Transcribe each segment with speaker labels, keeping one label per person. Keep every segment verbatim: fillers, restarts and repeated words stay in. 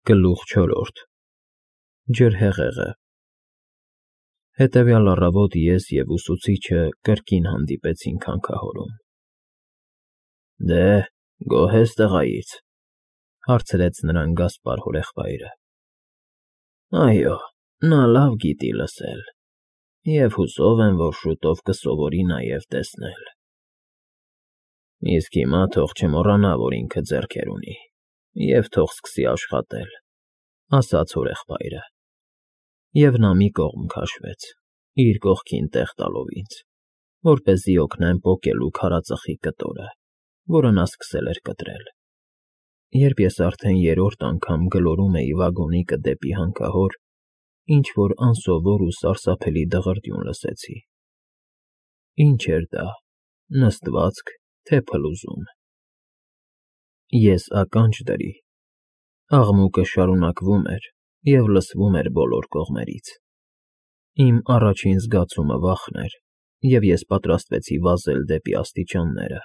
Speaker 1: Գլուխ չորրորդ Ջրհեղեղը Հետևյալ առավոտ ես և ուսուցիչը կրկին հանդիպեցինք հանքահորում։ ֊ Դե, գոհ ես տղայից,֊ հարցրեց նրան Գասպար հորեղբայրը։ ֊ Այո, նա լավ գիտի լսել և հուսով եմ, որ շուտով կսովորի նաև տեսնել։ ֊ Իսկ հիմա թող չմոռանա, որ ինքը ձեռքեր ունի, և թող սկսի աշխատել,֊ ասաց հորեղբայրը, և նա մի կողմ քաշվեց, իր կողքին տեղ տալով ինձ, որպեսզի օգնեմ պոկելու քարածխի կտորը, որը նա սկսել էր կտրել։ Երբ ես արդեն երրորդ անգամ գլորում էի վագոնիկը դեպի հանքահոր, ինչ֊որ անսովոր ու սարսափելի դղրդյուն լսեցի։ Ի՞նչ էր դա, նստվածք, թե փլուզում։ Ես ականջ դրի։ Աղմուկը շարունակվում էր և լսվում էր բոլոր կողմերից։ Իմ առաջին զգացումը վախն էր, և ես պատրաստվեցի վազել դեպի աստիճանները։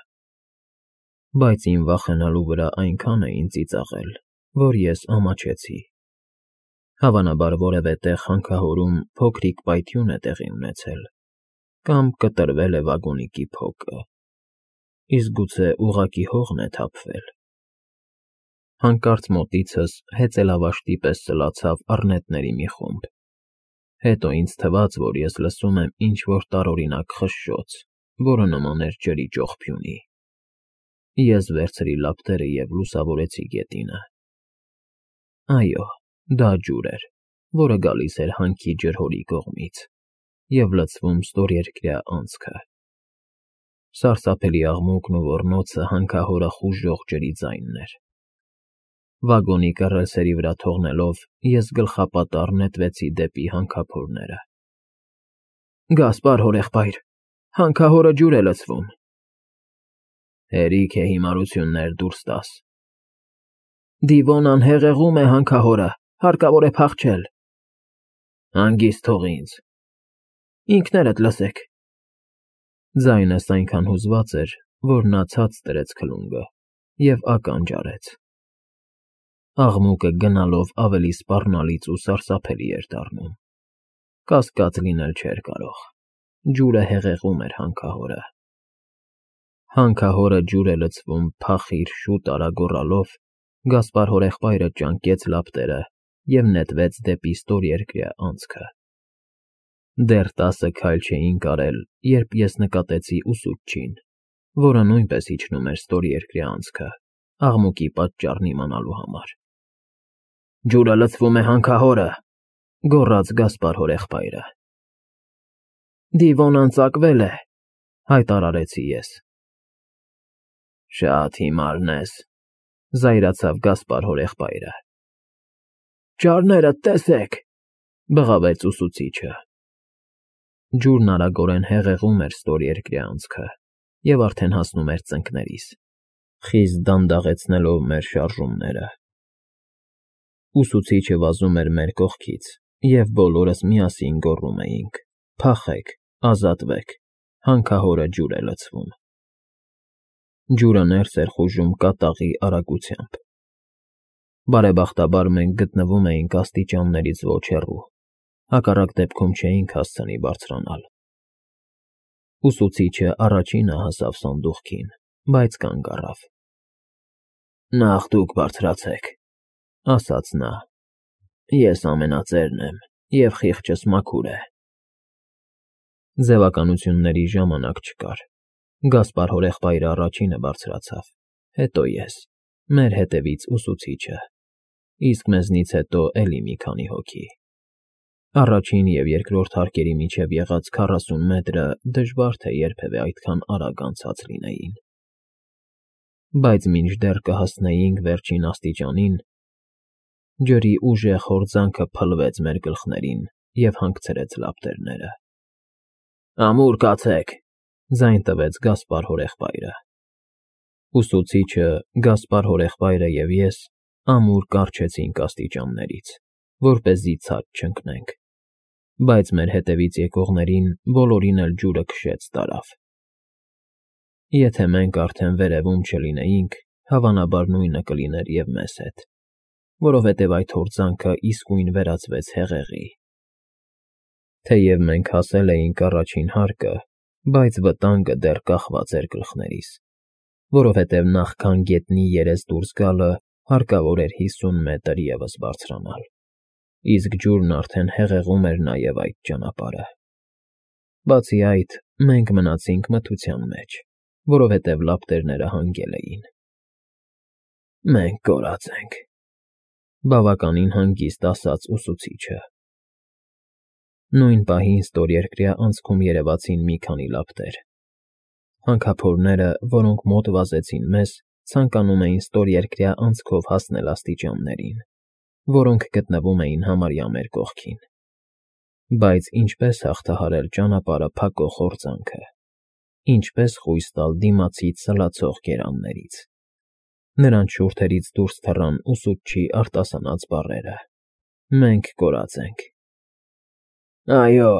Speaker 1: Բայց իմ վախենալու վրա այնքան էին ծիծաղել, որ ես ամաչեցի։ Հավանաբար որևէ տեղ հանքահորում փոքրիկ պայթյուն է տեղի ունեցել, կամ կտրվել է վագոնիկի փոկը, իսկ գուցե ուղղակի հողն է թափվել։ Հանկարծ մոտիցս հեծելավաշտի պես սլացավ առնետների մի խումբ։ Հետո ինձ թվաց, որ ես լսում եմ ինչ֊որ տարօրինակ խշշոց, որը նման էր ջրի ճողփյունի։ Ես վերցրի լապտերը և լուսավորեցի գետինը։ Այո, դա ջուր էր, որը գալիս էր հանքի ջրհորի կողմից և լցվում ստորերկրյա անցքը։ Սարսափելի աղմուկն ու ոռնոցը հանքահորը խուժող ջրի ձայնն էր։ Վագոնիկը ռելսերի վրա թողնելով, ես գլխապատառ նետվեցի դեպի հանքափորները։ ֊ Գասպար հորեղբայր, հանքահորը ջուր է լցվում։ ֊ Հերիք է հիմարություններ դուրս տաս։ ֊ Դիվոնան հեղեղում է հանքահորը, հարկավոր է փախչել։ ֊ Հանգիստ թող ինձ։ ֊ Ինքներդ լսեք։ Ձայնս այնքան հուզված էր, որ նա ցած դրեց քլունգը և ականջ արեց։ Աղմուկը գնալով ավելի սպառնալից ու սարսափելի էր դառնում։ Կասկած լինել չէր կարող։ Ջուրը հեղեղում էր հանքահորը։ Հանքահորը ջուր է լցվում փախիր շուտ արա գոռալով, Գասպար հորեղբայրը ճանկեց լապտերը և նետվեց դեպի ստորերկրյա անցքը։ Դեռ տասը քայլ չէինք արել, երբ ես նկատեցի ուսուցչին, որը նույնպես իջնում էր ստորերկրյա անցքը, աղմուկի պատճառն իմանալու համար։ ֊ Ջուրը լցվում է հանքահորը,֊ գոռաց Գասպար հորեղբայրը։ ֊ Դիվոնան ծակվել է,֊ հայտարարեցի ես։ ֊ Շատ հիմարն ես,֊ զայրացավ Գասպար հորեղբայրը։ ֊ Ճարներդ տեսեք,֊ բղավեց ուսուցիչը։ Ջուրն արագորեն հեղեղում էր ստորերկրյա անցքը և արդեն հասնում էր ծնկներիս, խիստ դանդաղեցնելով մեր շարժումները։ Ուսուցիչը վազում էր մեր կողքից, և բոլորս միասին գոռում էինք. «Փախեք, ազատվեք, հանքահորը ջուր է լցվում»։ Ջուրը ներս էր խուժում կատաղի արագությամբ։ Բարեբախտաբար մենք գտնվում էինք աստիճաններից ոչ հեռու, հակառակ դեպքում չէինք հասցնի բարձրանալ։ Ուսուցիչը առաջինը հասավ սանդուղքին, բայց կանգ առավ։ ֊ Նախ դուք բարձրացեք,֊ ասաց նա,֊ ես ամենածերն եմ, և խիղճս մաքուր է։ Ձևականությունների ժամանակ չկար։ Գասպար հորեղբայրը առաջինը բարձրացավ, հետո ես, մեր հետևից ուսուցիչը, իսկ մեզնից հետո էլի մի քանի հոգի։ Առաջին և երկրորդ հարկերի միջև եղած քառասուն մետրը դժվար թե երբևէ այդքան արագ անցած լինեին։ Բայց մինչդեռ կհասնեինք վերջին աստիճանին, ջրի ուժեղ հորձանքը փլվեց մեր գլխներին և հանգցրեց լապտերները։ ֊ Ամուր կացեք,֊ ձայն տվեց Գասպար հորեղբայրը։ Ուսուցիչը, Գասպար հորեղբայրը և ես ամուր կառչեցինք աստիճաններից, որպեսզի ցած չընկնենք, բայց մեր հետևից եկողներին բոլորին էլ ջուրը քշեց տարավ։ Եթե մենք արդեն վերևում չլինեինք, հավանաբար նույնը կլիներ և մեզ հետ, որովհետև այդ հորձանքը իսկույն վերածվեց հեղեղի։ Թեև մենք հասել էինք առաջին հարկը, բայց վտանգը դեռ կախված էր գլխներիս, որովհետև նախքան գետնի երես դուրս գալը հարկավոր էր հիսուն մետր ևս բարձրանալ, իսկ ջուրն արդեն հեղեղում էր նաև այդ ճանապարհը։ Բացի այդ, մենք մնացինք մթության մեջ, որովհետև լապտերները հանգել էին։ Մենք կորած ենք, բավականին հանգիստ ասաց ուսուցիչը։ Նույն պահին ստորերկրյա անցքում երևացին մի քանի լապտեր։ Հանքափորները, որոնք մոտ վազեցին մեզ, ցանկանում էին ստորերկրյա անցքով հասնել աստիճաններին, որոնք գտնվում էին համարյա մեր կողքին։ Բայց ինչպես հաղթահարել ճանապարհը փակող հորձանքը, ինչպես խույս տալ դիմացից սլացող գերաններից։ Նրանց շուրթերից դուրս թռան ուսուցչի արտասանած բառերը. «Մենք կորած ենք»։ «Այո,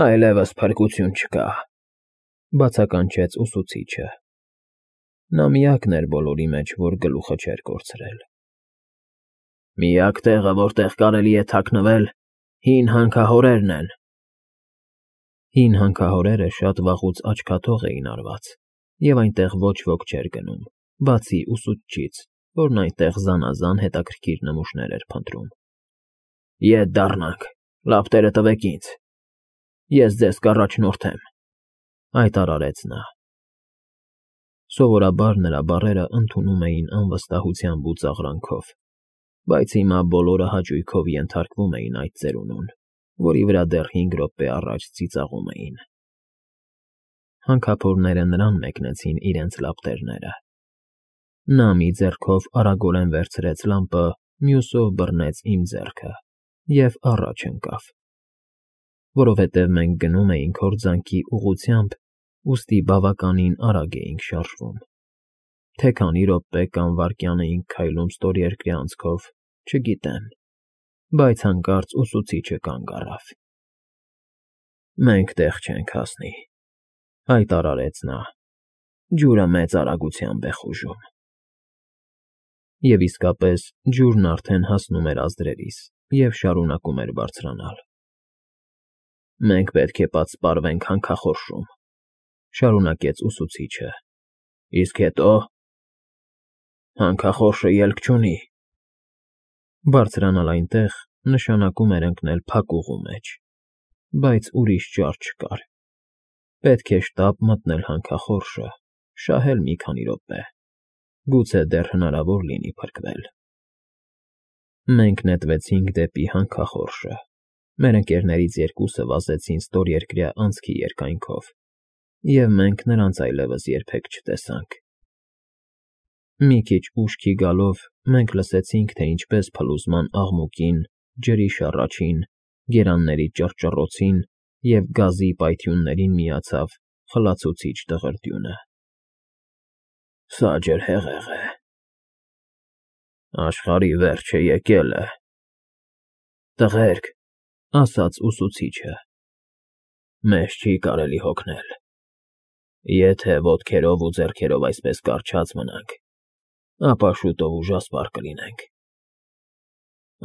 Speaker 1: այլևս փրկություն չկա», բացականչեց ուսուցիչը։ Նա միակն էր բոլորի մեջ, որ գլուխը չէր կորցրել։ «Միակ տեղը, որտեղ կարելի է թաքնվել, հին հանքահորերն են»։ Հին հանքահորերը շատ վաղուց աչքաթող էին արված, և այնտեղ ոչ ոք չէր գնում, բացի ուսուցչից, որն այնտեղ զանազան հետաքրքիր նմուշներ էր փնտրում։ «Ետ դառնանք, լապտերը տվեք ինձ, ես ձեզ կառաջնորդեմ», հայտարարեց նա։ Սովորաբար նրա բառերը ընդունում էին անվստահությամբ ու ծաղրանքով, բայց հիմա բոլորը հաճույքով ենթարկվում էին այդ ծերունուն, որի վրա դեռ հինգ րոպե առաջ ծիծաղում էին։ Հանքափորները նրան մեկնեցին իրենց լապտերները։ Նա մի ձեռքով արագորեն վերցրեց լամպը, մյուսով բռնեց իմ ձեռքը և առաջ ընկավ։ Որովհետև մենք գնում էինք հորձանքի ուղղությամբ, ուստի բավականին արագ էինք շարժվում։ Թե քանի րոպե կամ վայրկյան էինք քայլում ստորերկրյա անցքով, չգիտեմ, բայց հանկարծ ուսուցիչը կանգ առավ։ «Մենք տեղ չենք հասնի», հայտարարեց նա, «ջուրը մեծ արագությամբ է խուժում»։ Եվ իսկապես ջուրն արդեն հասնում էր ազդրերիս և շարունակում էր բարձրանալ։ «Մենք պետք է պատսպարվենք հանքախորշում», շարունակեց ուսուցիչը։ «Իսկ հետո»։ «Հանքախորշը ելք չունի»։ Բարձրանալ այնտեղ նշանակում էր ընկնել փակուղու մեջ, բայց ուրիշ ճար չկար։ Պետք է շտապ մտնել հանքախորշը, շահել մի քանի րոպե, գուցե դեռ հնարավոր լինի փրկվել։ Մենք նետվեցինք դեպի հանքախորշը, մեր ընկերներից երկուսը վազեցին ստորերկրյա անցքի երկայնքով, և մենք նրանց այլևս երբեք չտեսանք։ Մի քիչ ուշքի գալով մենք լսեցինք, թե ինչպես փլուզման աղմուկին, ջրի շառաչին, գերանների ճռճռոցին և գազի պայթյուններին միացավ խլացուցիչ դղրդյունը։ «Սա ջրհեղեղ է»։ «Աշխարհի վերջը եկել է»։ «Տղերք», ասաց ուսուցիչը, «մեզ չի կարելի հոգնել։ Եթե ոտքերով ու ձեռքերով այսպես կառչած մնանք, ապա շուտով ուժասպառ կլինենք։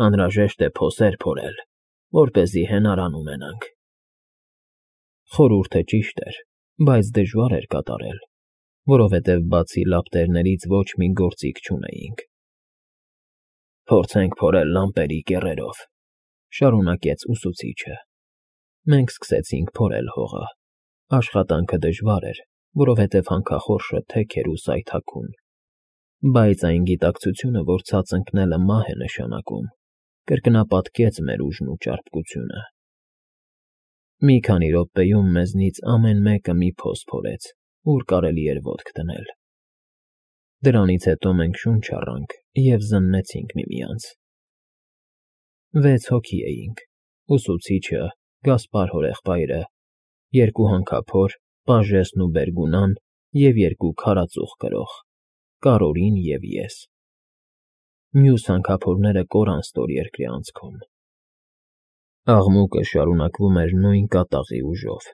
Speaker 1: Անհրաժեշտ է փոսեր փորել, որպեսզի հենարան ունենանք»։ Խորհուրդը ճիշտ էր, բայց դժվար էր կատարել, որովհետև բացի լապտերներից ոչ մի գործիք չունեինք։ «Փորձենք փորել լամպերի կեռերով», շարունակեց ուսուցիչը։ Մենք սկսեցինք փորել հողը։ Աշխատանքը դժվար էր, որովհետև հանքախորշը թեք էր ու սայթաքուն, բայց այն գիտակցությունը, որ ցած ընկնելը մահ է նշանակում, կրկնապատկեց մեր ուժն ու ճարպկությունը։ Մի քանի րոպեում մեզնից ամեն մեկը մի փոս փորեց, ուր կարելի էր ոտք դնել։ Դրանից հետո մենք շունչ առանք և զննեցինք միմյանց։ Վեց հոգի էինք՝ ուսուցիչը, Գասպար հորեղբայրը, երկու հանքափոր, Պաժեսն ու Բերգունան և երկու քարածուխ կրող՝ Կարորին և ես։ Մյուս հանքափորները կորան ստորերկրյա անցքում։ Աղմուկը շարունակվում էր նույն կատաղի ուժով։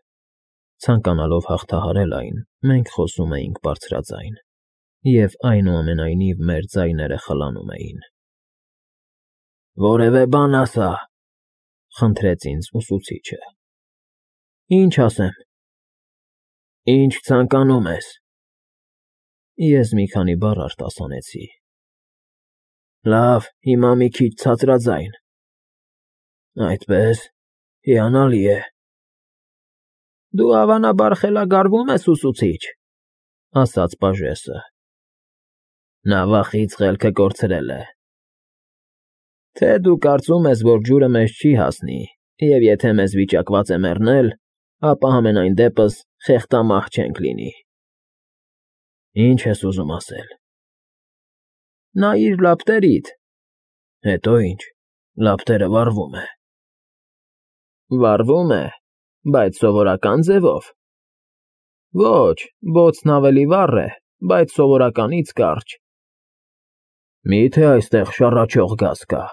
Speaker 1: Ցանկանալով հաղթահարել այն, մենք խոսում էինք բարձրաձայն, և այնուամենայնիվ մեր ձայները խլանում էին։ Որևէ բան ասա, խնդրեց ինձ ուսուցիչը։ Ինչ ասեմ։ Ինչ ցանկանում ես։ Ես մի քանի բառ արտասանեցի։ Լավ, հիմա մի քիչ ցածրաձայն։ Այդպես, հիանալի է։ Դու հավանաբար խելագարվում ես, ուսուցիչ, ասաց պաժեսը։ Նա վախից խելքը կորցրել է։ Թե դու կարծում ես, որ ջուրը մեզ չի հասնի, և եթե մեզ վիճակված է մեռնել, ապա համենայն դեպս խեղտամահ չենք լինի։ Ինչ ես ուզում ասել։ Նայիր լապտերիդ։ Հետո ինչ, լապտերը վառվում է։ Վառվում է, բայց սովորական ձևով։ Ոչ, բոցն ավելի վառ է, բայց սովորականից կարճ։ Մի՞թե այստեղ շառաչող գազ կա։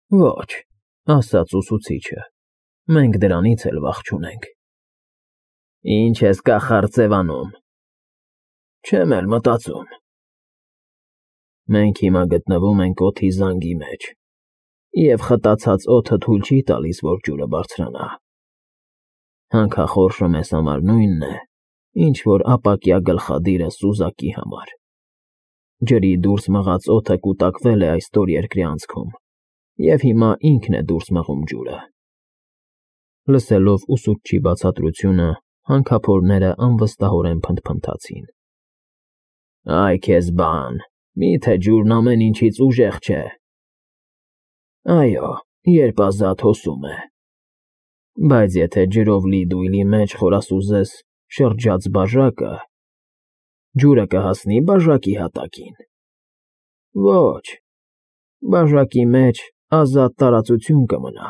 Speaker 1: Ոչ, ասաց ուսուցիչը, մենք դրանից էլ վախ չունենք։ Ինչ ես կախարդ ձևանում։ Չեմ էլ մտածում։ Մենք հիմա գտնվում ենք օդի զանգի մեջ, և խտացած օդը թույլ չի տալիս, որ ջուրը բարձրանա։ Հանքախորշը մեզ համար նույնն է, ինչ որ ապակյա գլխադիրը սուզակի համար։ Ջրի դուրս մղած օդը կուտակվել է այս ստորերկրի անցքում, և հիմա ինքն է դուրս մղում ջուրը։ Լսելով ուսուցչի բացատրությունը, հանքափորները անվստահորեն փնթփնթացին։ Այ քեզ բան, մի՞թե ջուրն ամեն ինչից ուժեղ չէ։ Այո, երբ ազատ հոսում է։ Բայց եթե ջրով լի դույլի մեջ խորասուզես շրջած բաժակը, ջուրը կհասնի բաժակի հատակին։ Ոչ, բաժակի մեջ ազատ տարածություն կմնա։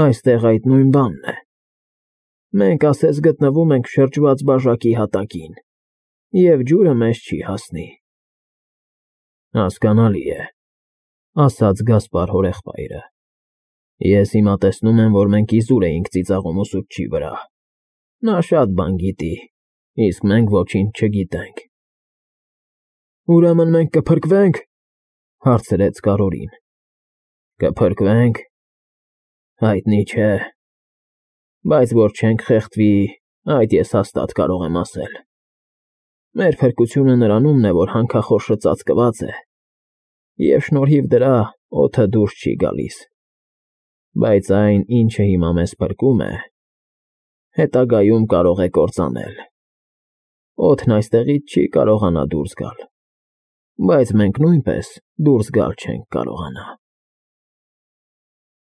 Speaker 1: Այստեղ այդ նույն բանն է։ Մենք ասես գտնվում ենք շրջված բաժակի հատակին, և ջուրը մեզ չի հասնի։ Հասկանալի է, ասաց Գասպար հորեղբայրը։ Ես հիմա տեսնում եմ, որ մենք իզուր էինք ծիծաղում ուսուցչի վրա։ Նա շատ բան գիտի, իսկ մենք ոչինչ չգիտենք։ Ուրեմն մենք կփրկվե՞նք, հարցրեց Կարրորին։ Կփրկվենք։ Հայտնի չէ, բայց որ չենք խեղդվի, այդ ես հաստատ կարող եմ ասել։ Մեր փրկությունը նրանումն է, որ հանքախորշը ծածկված է, և շնորհիվ դրա օդը դուրս չի գալիս։ Բայց այն, ինչը հիմա մեզ փրկում է, հետագայում կարող է կործանել։ Օդն այստեղից չի կարողանա դուրս գալ, բայց մենք նույնպես դուրս գալ չենք կարողանա։